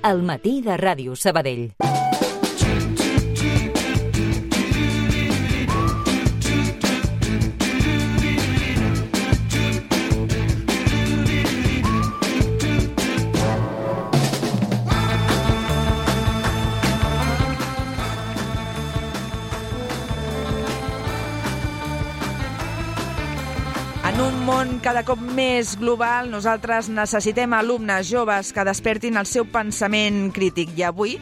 Al matí de Ràdio Sabadell. En un món cada cop més global, nosaltres necessitem alumnes joves que despertin el seu pensament crític. I avui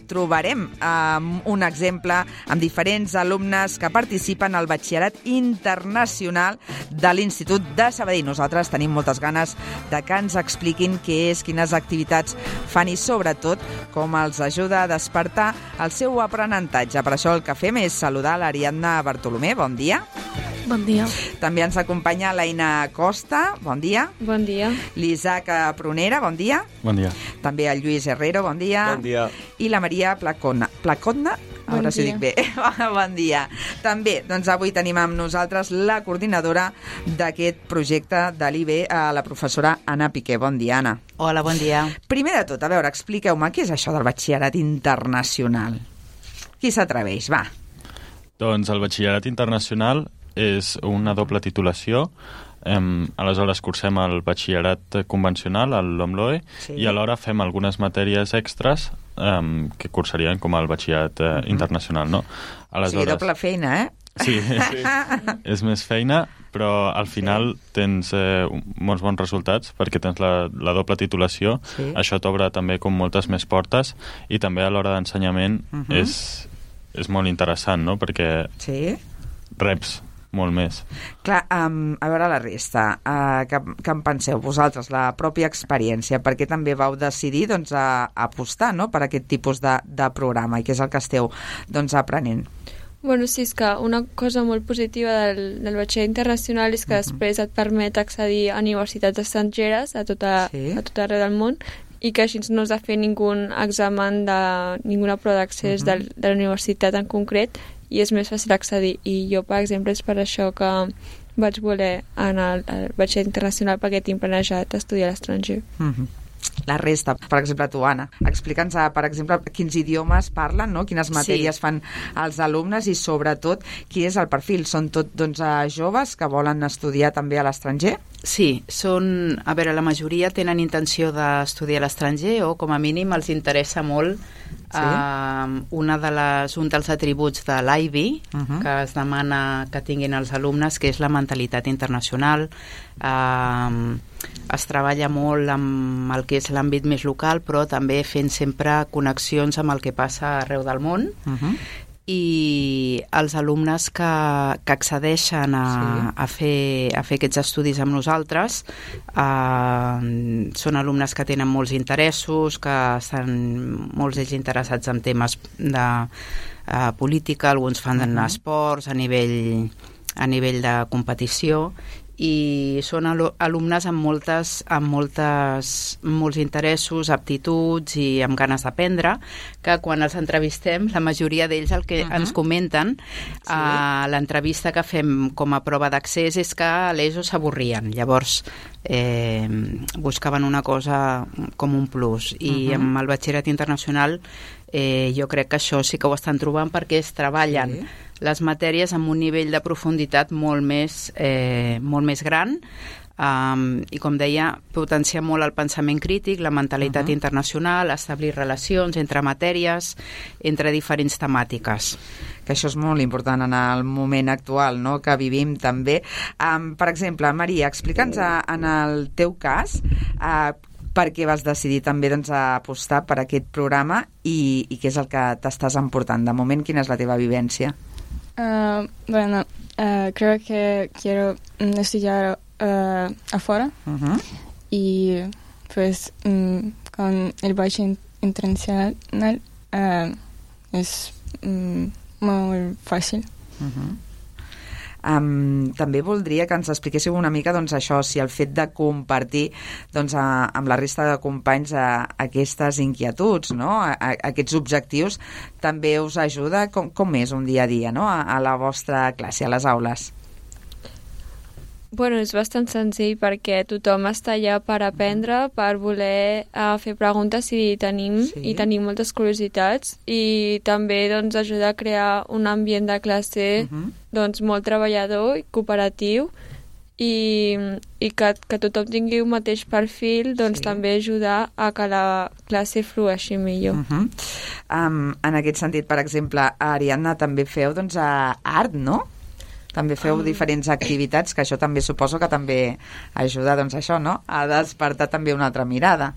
trobarem un exemple amb diferents alumnes que participen al Batxillerat Internacional de l'Institut de Sabadell. Nosaltres tenim moltes ganes de que ens expliquin què és, quines activitats fan i, sobretot, com els ajuda a despertar el seu aprenentatge. Per això el que fem és saludar l'Ariadna Bartolomé. Bon dia. Bon dia. També ens acompanya l'Aina Costa. Bon dia. Bon dia. L'Isaac Prunera. Bon dia. Bon dia. També el Lluís Herrero. Bon dia. Bon dia. I la Maria Placonna. Placonna? A veure si ho dic bé. Bon dia. També, avui tenim amb nosaltres la coordinadora d'aquest projecte de l'IB, la professora Anna Piqué. Bon dia, Anna. Hola, bon dia. Primer de tot, a veure, expliqueu-me què és això del Batxillerat Internacional. Qui s'atreveix? Va. Doncs el Batxillerat Internacional és una doble titulació. Aleshores cursem el batxillerat convencional, el LOMLOE, sí. I alhora fem algunes matèries extres que cursarien com el batxillerat internacional, no? Aleshores, sí, doble feina, eh? Sí, és més feina, però al final tens molts bons resultats perquè tens la doble titulació. Sí. Això t'obre també com moltes més portes i també a l'hora d'ensenyament és molt interessant, no? Perquè reps molt més. Clar, a veure la resta, què en penseu vosaltres, la pròpia experiència, per què també vau decidir apostar, no?, per aquest tipus de programa i què és el que esteu aprenent? Bueno, sí, és que una cosa molt positiva del batxillerat internacional és que després et permet accedir a universitats estrangeres a tot arreu del món i que així no has de fer ningú examen ninguna prova d'accés de la universitat en concret i és més fàcil accedir. I jo, per exemple, és per això que vaig voler anar al batxillerat internacional perquè tinc planejat estudiar a l'estranger. La resta, per exemple, tu, Anna, explica'ns, per exemple, quins idiomes parlen, no? Quines matèries fan els alumnes i, sobretot, quin és el perfil? Són tot, joves que volen estudiar també a l'estranger? Sí, la majoria tenen intenció d'estudiar a l'estranger o, com a mínim, els interessa molt un dels atributs de l'IB que es demana que tinguin els alumnes, que és la mentalitat internacional. Es treballa molt amb el que és l'àmbit més local, però també fent sempre connexions amb el que passa arreu del món. I els alumnes que accedeixen a fer aquests estudis amb nosaltres són alumnes que tenen molts interessos, que estan molts d'ells interessats en temes de política, alguns fan esports a nivell de competició, i són alumnes amb molts interessos, aptituds i amb ganes d'aprendre, que quan els entrevistem, la majoria d'ells el que ens comenten a l'entrevista que fem com a prova d'accés és que a l'ESO s'avorrien. Llavors buscaven una cosa com un plus, i amb el batxillerat internacional jo crec que això sí que ho estan trobant perquè es treballen les matèries amb un nivell de profunditat molt més gran, i, com deia, potenciar molt el pensament crític, la mentalitat internacional, establir relacions entre matèries, entre diferents temàtiques. Que això és molt important en el moment actual, no?, que vivim també. Per exemple, Maria, explica'ns en el teu cas per què vas decidir també apostar per aquest programa i què és el que t'estàs emportant. De moment, quina és la teva vivència? Creo que quiero estudiar afuera y pues con el bachiller internacional es muy fácil. També voldria que ens expliquéssiu una mica això, si el fet de compartir amb la resta de companys aquestes inquietuds, no? Aquests objectius, també us ajuda. Com és un dia a dia, no?, a la vostra classe, a les aules? Bueno, és bastant senzill perquè tothom està allà per aprendre, per voler fer preguntes i tenim moltes curiositats i també doncs, ajuda a crear un ambient de classe doncs, molt treballador i cooperatiu i que tothom tingui un mateix perfil doncs també ajuda a que la classe flueixi millor. En aquest sentit, per exemple, a Ariadna també feu doncs, art, no? També feu diferents activitats, que això també suposo que també ajuda doncs, això, no? A despertar també una altra mirada.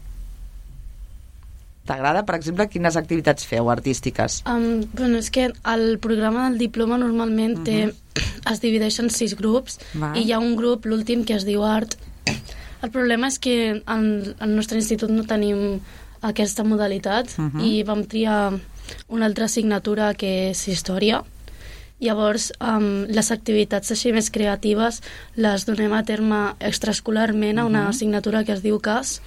T'agrada, per exemple, quines activitats feu artístiques? Bueno, és que el programa del diploma normalment es divideix en 6 grups i hi ha un grup, l'últim, que es diu Art. El problema és que al nostre institut no tenim aquesta modalitat i vam triar una altra assignatura que és Història. Llavors, les activitats així més creatives les donem a terme extraescolarment a una assignatura que es diu CAS,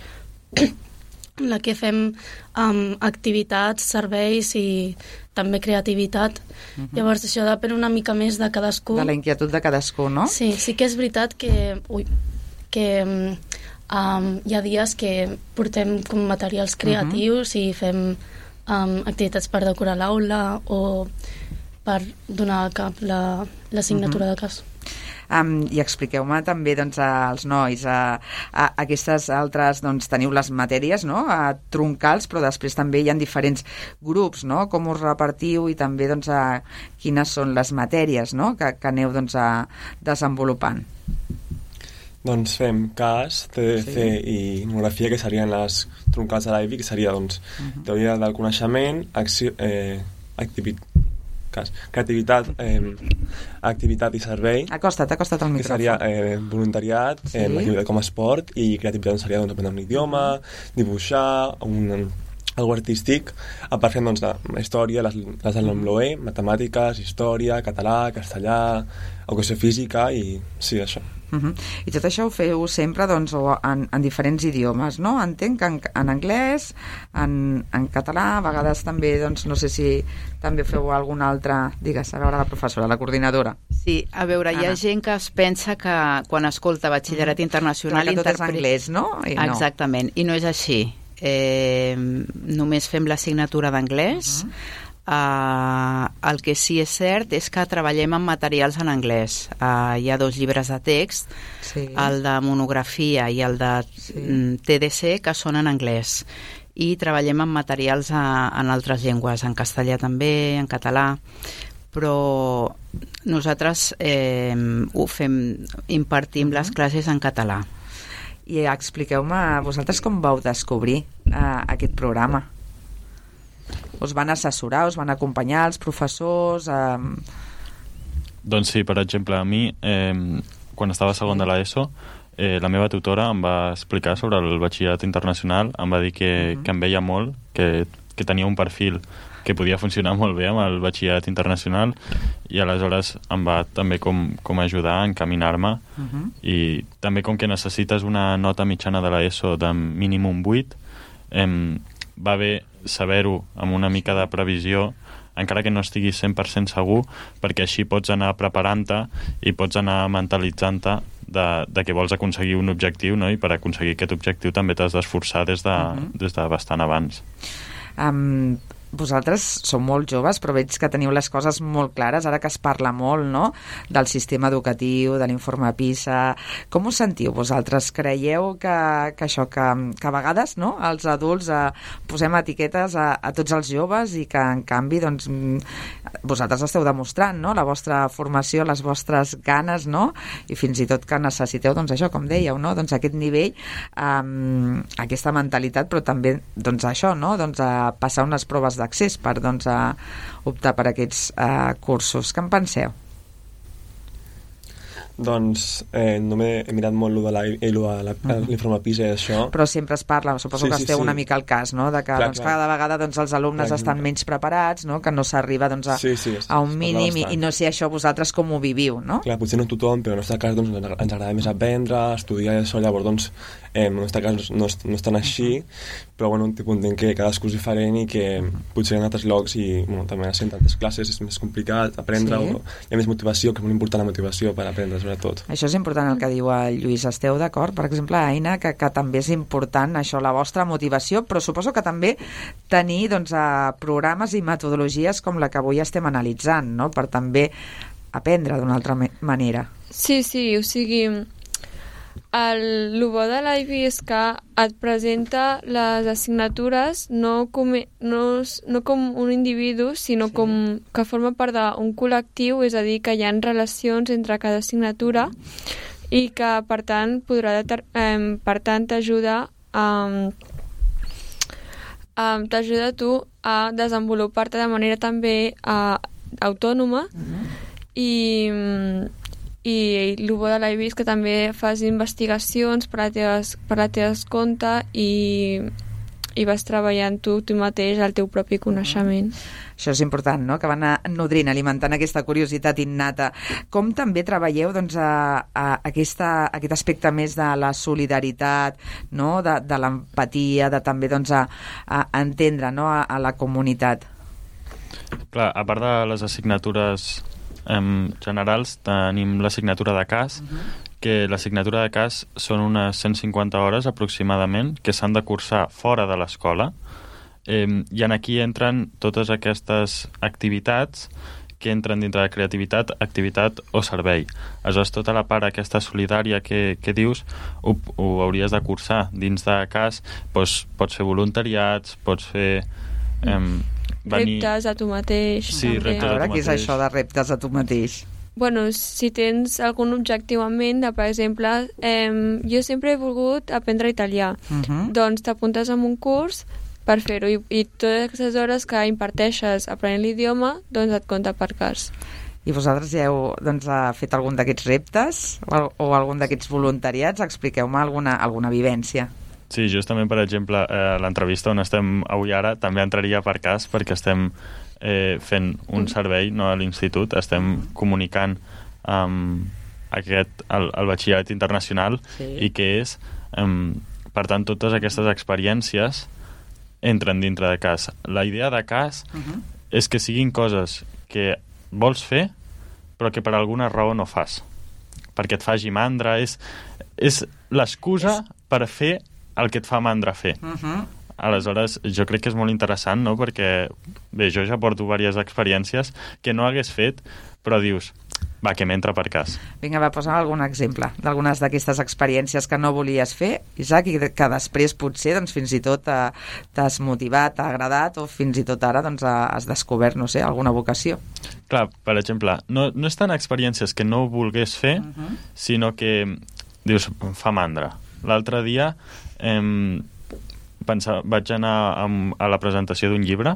en la que fem activitats, serveis i també creativitat. Llavors, això depèn una mica més de cadascú. De la inquietud de cadascú, no? Sí, sí que és veritat que hi ha dies que portem com materials creatius i fem activitats per decorar l'aula o per donar a cap l'assignatura de CAS. I expliqueu-me també doncs, als nois aquestes altres, doncs teniu les matèries, no?, troncals, però després també hi ha diferents grups, no?, com us repartiu i també doncs, quines són les matèries, no?, que aneu doncs, desenvolupant. Doncs fem CAS, TDC i Etnografia, que serien les troncals de l'IB, que seria doncs, teoria del coneixement, creativitat, activitat i servei. Acosta't al micròfon. Que seria voluntariat, activitat com a esport, i creativitat seria doncs, aprendre un idioma, dibuixar, algo artístic. A part fem doncs, la història, les de l'Ombloé, matemàtiques, història, català, castellà, educació física i sí, això. I tot això ho feu sempre doncs, en diferents idiomes, no? Entenc que en anglès, en català, a vegades també, doncs, no sé si també feu algun altre... Digues, a veure la professora, la coordinadora. Sí, a veure, hi ha gent que es pensa que quan escolta batxillerat internacional... Que tot és anglès, no? Exactament, i no és així. Només fem l'assignatura d'anglès. El que sí és cert és que treballem amb materials en anglès. Hi ha 2 llibres de text, el de monografia i el de TDC, que són en anglès, i treballem amb materials en altres llengües, en castellà també, en català, però nosaltres impartim les classes en català. I expliqueu-me, vosaltres com vau descobrir aquest programa? Us van assessorar, us van acompanyar els professors? Doncs sí, per exemple, a mi, quan estava a segon de l'ESO, la meva tutora em va explicar sobre el batxillerat internacional, em va dir que em veia molt, que tenia un perfil que podia funcionar molt bé amb el batxillerat internacional, i aleshores em va també com ajudar a encaminar-me, i també com que necessites una nota mitjana de l'ESO de mínim un 8, va bé saber-ho amb una mica de previsió, encara que no estiguis 100% segur, perquè així pots anar preparant-te i pots anar mentalitzant-te de que vols aconseguir un objectiu, no? I per aconseguir aquest objectiu també t'has d'esforçar des de bastant abans. Vosaltres sou molt joves, però veig que teniu les coses molt clares, ara que es parla molt, no?, del sistema educatiu, de l'informe PISA. Com us sentiu vosaltres? Creieu que això, que a vegades, no?, els adults posem etiquetes a tots els joves i que, en canvi, doncs, vosaltres esteu demostrant, no?, la vostra formació, les vostres ganes, no?, i fins i tot que necessiteu, doncs, això, com dèieu, no?, doncs, aquest nivell, aquesta mentalitat, però també, doncs, això, no?, doncs, passar unes proves d'accés per doncs, optar per aquests cursos. Què en penseu? Doncs no he mirat molt l'informe PISA i això. Però sempre es parla, suposo que esteu una mica al cas, no?, de que cada vegada doncs, els alumnes estan menys preparats, no?, que no s'arriba doncs, a un mínim i no sé això vosaltres com ho viviu, no? Clar, potser no tothom, però en el nostre cas doncs, ens agrada més aprendre, estudiar i això, llavors doncs, en el nostre cas no és tan així, però bueno, entenc que cadascú és diferent i que potser en altres llocs i bueno, també a tantes classes és més complicat aprendre, o hi ha més motivació, que és molt important la motivació per aprendre, sobretot. Això és important el que diu el Lluís. Esteu d'acord, per exemple, Aina, que també és important això, la vostra motivació, però suposo que també tenir doncs, programes i metodologies com la que avui estem analitzant, no? Per també aprendre d'una altra manera. Sí, o sigui, el bo de l'IB és que et presenta les assignatures no com un individu, sinó com que forma part d'un col·lectiu, és a dir, que hi ha relacions entre cada assignatura i que, per tant, t'ajuda t'ajuda tu a desenvolupar-te de manera també autònoma i el bo de l'IB és que també fas investigacions per la teva compte i vas treballant tu mateix el teu propi coneixement. Això és important, no?, que van nodrint, alimentant aquesta curiositat innata. Com també treballeu doncs, aquest aspecte més de la solidaritat, no?, de l'empatia, de també doncs, a entendre, no?, a la comunitat? Clar, a part de les assignatures generals, tenim l'assignatura de cas, que l'assignatura de cas són unes 150 hores aproximadament que s'han de cursar fora de l'escola, i aquí entren totes aquestes activitats que entren dintre de creativitat, activitat o servei. Aleshores, tota la part aquesta solidària que dius ho hauries de cursar. Dins de cas pots fer voluntariats, pots fer... reptes a tu mateix. Sí, reptes a tu mateix. Què és això de reptes a tu mateix? Bueno, si tens algun objectiu en ment, per exemple, jo sempre he volgut aprendre italià. Doncs t'apuntes a un curs per fer-ho i totes aquestes hores que imparteixes aprenent l'idioma, doncs et compta per cas. I vosaltres ja heu fet algun d'aquests reptes o algun d'aquests voluntariats? Expliqueu-me alguna vivència. Sí, justament, per exemple, l'entrevista on estem avui ara també entraria per cas, perquè estem fent un servei, no, a l'institut, estem comunicant el batxillerat internacional i que és, per tant, totes aquestes experiències entren dintre de cas. La idea de cas és que siguin coses que vols fer però que per alguna raó no fas, perquè et faci mandra, és l'excusa per fer el que et fa mandra fer. Aleshores, jo crec que és molt interessant, no?, perquè, bé, jo ja porto diverses experiències que no hagués fet, però dius, va, que m'entra per cas. Vinga, va, posa'm algun exemple d'algunes d'aquestes experiències que no volies fer, Isaac, i que després potser doncs, fins i tot t'has motivat, t'ha agradat, o fins i tot ara doncs, has descobert, no sé, alguna vocació. Clar, per exemple, no és tant experiències que no volgués fer, sinó que dius, em fa mandra. L'altre dia vaig anar a la presentació d'un llibre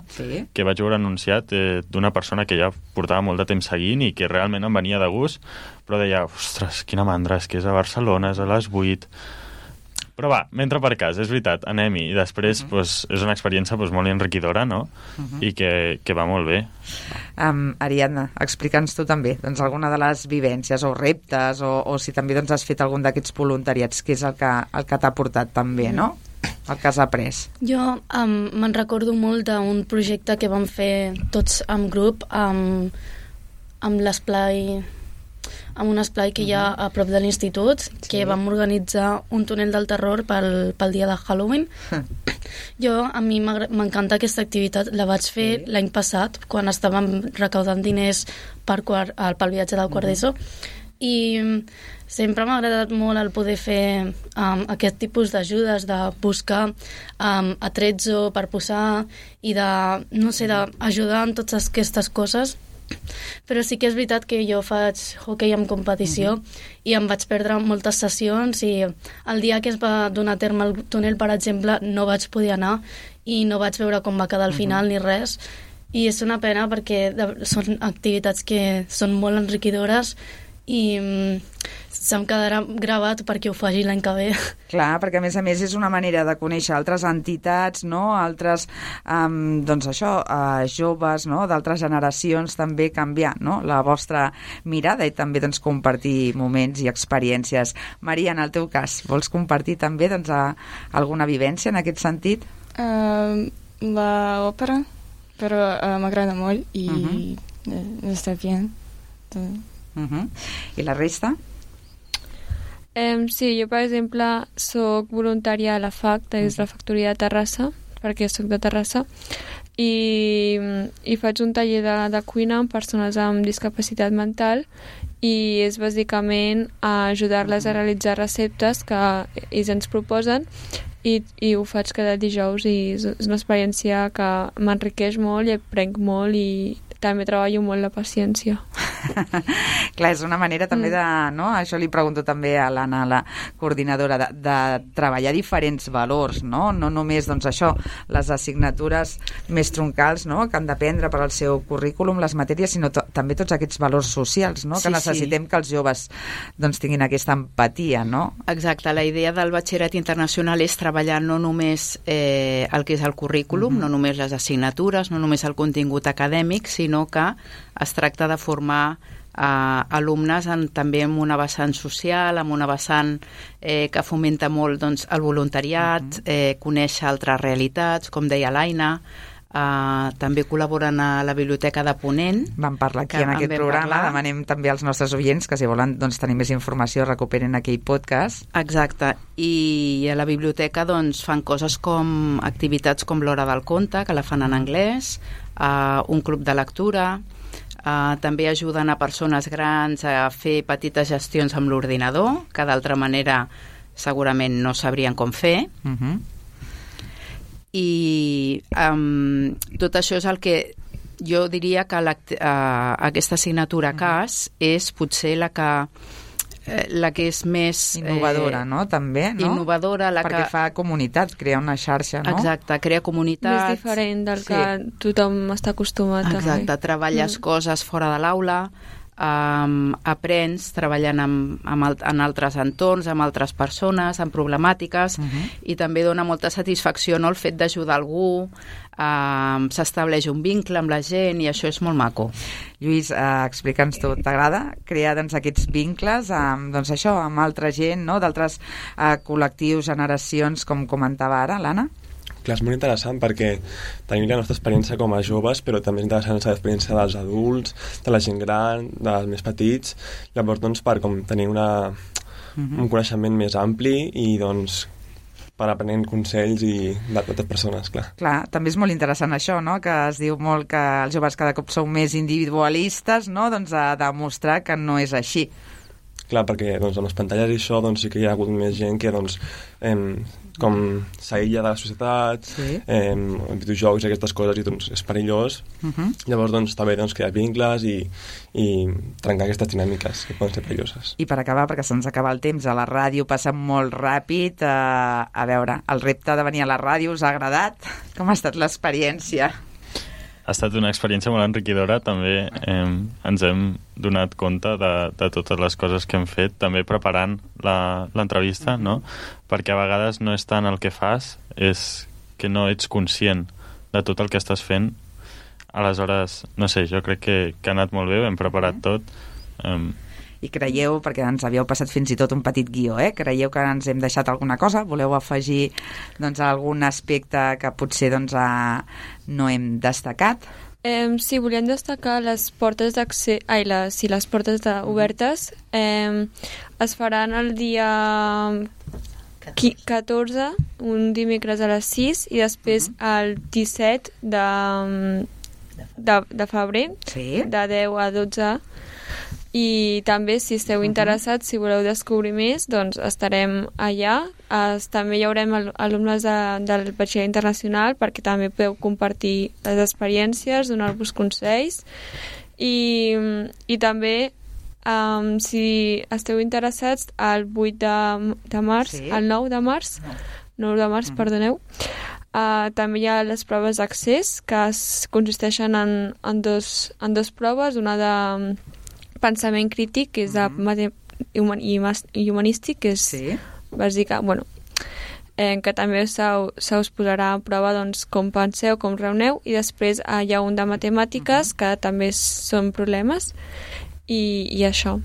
que vaig veure anunciat d'una persona que ja portava molt de temps seguint i que realment em venia de gust, però deia, ostres, quina mandra, és que és a Barcelona, és a les 8... Però va, m'entra per cas, és veritat, anem-hi. I després és una experiència molt enriquidora, no? I que va molt bé. Ariadna, explica'ns tu també alguna de les vivències o reptes o si també has fet algun d'aquests voluntariats, que és el que t'ha portat també, no? El que has après. Jo me'n recordo molt d'un projecte que vam fer tots en grup amb l'esplai, amb un esplai que hi ha a prop de l'institut, que vam organitzar un túnel del terror pel dia de Halloween. A mi m'encanta aquesta activitat, la vaig fer l'any passat, quan estàvem recaudant diners pel viatge del quart d'ESO, i sempre m'ha agradat molt el poder fer aquest tipus d'ajudes, de buscar atrezzo per posar i d'ajudar en totes aquestes coses. Però sí que és veritat que jo faig hoquei amb competició i em vaig perdre moltes sessions i el dia que es va donar a terme el túnel, per exemple, no vaig poder anar i no vaig veure com va quedar al final ni res, i és una pena perquè són activitats que són molt enriquidores i se'm quedarà gravat perquè ho faci l'any que ve. Clar, perquè a més és una manera de conèixer altres entitats, no? Altres, doncs això, joves, no? D'altres generacions, també canviar, no? La vostra mirada i també doncs, compartir moments i experiències. Maria, en el teu cas, vols compartir també doncs, alguna vivència en aquest sentit? L'òpera, però m'agrada molt i està bé. I la resta? Sí, jo, per exemple, soc voluntària a la FAC, des de la Factoria de Terrassa, perquè soc de Terrassa, i faig un taller de cuina amb persones amb discapacitat mental i és bàsicament ajudar-les a realitzar receptes que ells ens proposen i ho faig cada dijous i és una experiència que m'enriqueix molt i aprenc molt i també treballo molt la paciència. Clar, és una manera també de, no? Això li pregunto també a l'Anna, la coordinadora, de treballar diferents valors, no? No només, doncs això, les assignatures més troncals, no? Que han d'aprendre per al seu currículum, les matèries, sinó també tots aquests valors socials, no? Que necessitem que els joves doncs, tinguin aquesta empatia, no? Exacte, la idea del batxillerat internacional és treballar no només el que és el currículum, no només les assignatures, no només el contingut acadèmic, sinó que es tracta de formar alumnes també amb una vessant social, amb una vessant que fomenta molt doncs, el voluntariat, conèixer altres realitats, com deia l'Aina, també col·laboren a la Biblioteca de Ponent. Vam parlar aquí en aquest programa, demanem també als nostres oients que si volen doncs, tenir més informació recuperen aquell podcast. Exacte, i a la biblioteca doncs, fan coses com activitats com l'Hora del Conte, que la fan en anglès, un club de lectura, també ajuden a persones grans a fer petites gestions amb l'ordinador, que d'altra manera segurament no sabrien com fer. I tot això és el que jo diria que aquesta assignatura CAS és potser la que és més... Innovadora, no? També, no? Innovadora. Perquè fa comunitat, crea una xarxa, no? Exacte, crea comunitat. Més diferent del que tothom està acostumat. Exacte, treballes coses fora de l'aula, aprens treballant en altres entorns, amb altres persones, amb problemàtiques, i també dona molta satisfacció, no?, el fet d'ajudar algú, s'estableix un vincle amb la gent i això és molt maco. Lluís, explica'ns tu, t'agrada crear doncs, aquests vincles doncs, això, amb altra gent, no?, d'altres col·lectius, generacions, com comentava ara l'Anna? Clar, és molt interessant perquè tenim la nostra experiència com a joves, però també és interessant l'experiència dels adults, de la gent gran, dels més petits. Llavors, doncs, per tenir un coneixement més ampli i, doncs, per aprenent consells i de totes persones, clar. Clar, també és molt interessant això, no?, que es diu molt que els joves cada cop són més individualistes, no?, doncs a demostrar que no és així. Clar, perquè doncs, amb les pantalles i això doncs, sí que hi ha hagut més gent que doncs, com s'aïlla de la societat, videojocs i aquestes coses, i doncs és perillós. Llavors doncs, està bé doncs, crear vincles i trencar aquestes dinàmiques que poden ser perilloses. I per acabar, perquè se'ns acaba el temps, a la ràdio passa molt ràpid. A veure, el repte de venir a la ràdio us ha agradat? Com ha estat l'experiència? Ha estat una experiència molt enriquidora, també ens hem donat compte de totes les coses que hem fet, també preparant l'entrevista, no? Perquè a vegades no és tant el que fas, és que no ets conscient de tot el que estàs fent. Aleshores, no sé, jo crec que ha anat molt bé, hem preparat tot. I creieu, perquè ens havíeu passat fins i tot un petit guió, creieu que ens hem deixat alguna cosa? Voleu afegir doncs, algun aspecte que potser doncs, no hem destacat? Sí, volíem destacar les portes d'accés, les portes obertes es faran el dia 14, un dimecres a les 6, i després el 17 de febrer, de 10 a 12. I també, si esteu interessats, si voleu descobrir més, doncs estarem allà. També hi haurem alumnes del batxillerat internacional perquè també podeu compartir les experiències, donar-vos consells. I també, si esteu interessats, el 8 de març, el 9 de març, 9 de març, perdoneu, també hi ha les proves d'accés, que consisteixen en dos proves, una de pensament crític, que és i humanístic, que és bàsica, que també se us posarà a prova com penseu, com reuneu, i després hi ha un de matemàtiques, que també són problemes, i això.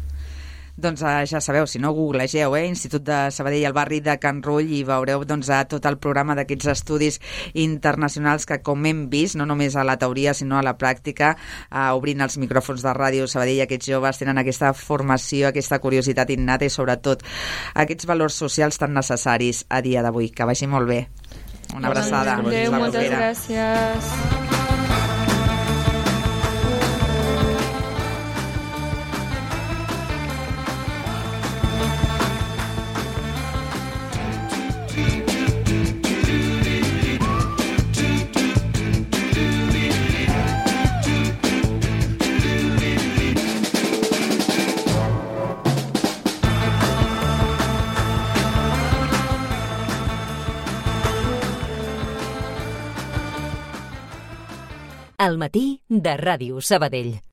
Doncs ja sabeu, si no, googlegeu, Institut de Sabadell al barri de Can Rull, i veureu tot el programa d'aquests estudis internacionals que, com hem vist, no només a la teoria sinó a la pràctica, obrint els micròfons de Ràdio Sabadell, aquests joves tenen aquesta formació, aquesta curiositat innata i sobretot aquests valors socials tan necessaris a dia d'avui. Que vagi molt bé. Una abraçada. Adéu, moltes gràcies. Al matí de Ràdio Sabadell.